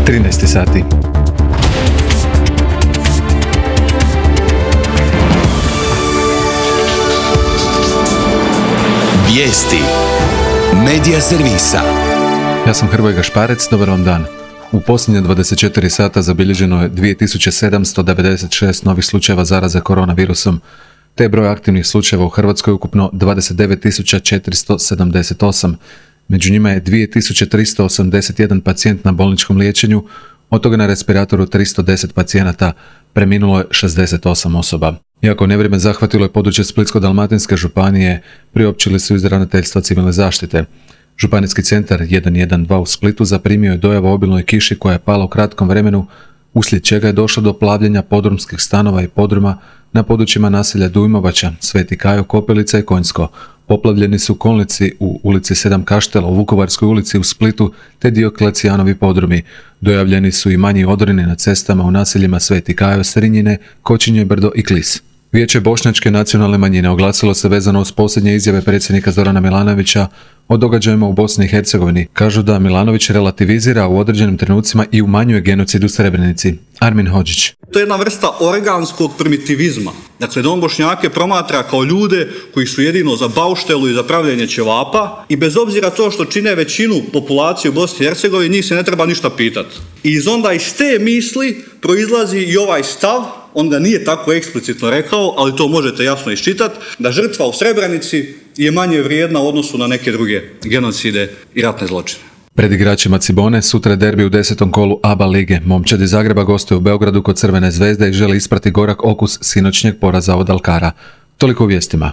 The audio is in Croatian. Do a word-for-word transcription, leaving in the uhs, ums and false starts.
trinaest sati. Vijesti Medija servisa. Ja sam Hrvoje Gašparec, dobar vam dan. U posljednje dvadeset četiri sata zabilježeno je dvije tisuće sedamsto devedeset šest novih slučajeva zaraze koronavirusom, te broj aktivnih slučajeva u Hrvatskoj ukupno dvadeset devet tisuća četiristo sedamdeset osam. Među njima je dvije tisuće tristo osamdeset jedan pacijent na bolničkom liječenju, od toga na respiratoru tristo deset pacijenata, preminulo je šezdeset osam osoba. Iako nevrijeme zahvatilo je područje Splitsko-dalmatinske županije, priopćili su iz ravnateljstva civilne zaštite. Županijski centar jedan jedan dva u Splitu zaprimio je dojavu o obilnoj kiši koja je pala u kratkom vremenu, uslijed čega je došlo do plavljenja podrumskih stanova i podruma na područjima naselja Dujmovača, Sveti Kajo, Kopelica i Konjsko. Poplavljeni su kolnici u ulici Sedam Kaštela, u Vukovarskoj ulici u Splitu te Dioklecijanovi podrumi. Dojavljeni su i manji odroni na cestama u naseljima Sveti Kajo, Srinjine, Kočinje Brdo i Klis. Vijeće bošnjačke nacionalne manjine oglasilo se vezano uz posljednje izjave predsjednika Zorana Milanovića o događajima u Bosni i Hercegovini. Kažu da Milanović relativizira u određenim trenucima i umanjuje genocid u Srebrenici. Armin Hodžić. To je jedna vrsta organskog primitivizma. Dakle, da on Bošnjake promatra kao ljude koji su jedino za bauštelu i za pravljenje ćevapa i bez obzira to što čine većinu populacije u Bosni i Hercegovini, njih se ne treba ništa pitati. I iz onda iz te misli proizlazi i ovaj stav, on ga nije tako eksplicitno rekao, ali to možete jasno iščitati, da žrtva u Srebrenici je manje vrijedna u odnosu na neke druge genocide i ratne zločine. Pred igračima Cibone sutra je derbi u desetom kolu A B A lige. Momčad iz Zagreba gostuje u Beogradu kod Crvene zvezde i želi isprati gorak okus sinoćnjeg poraza od Alkara. Toliko u vijestima.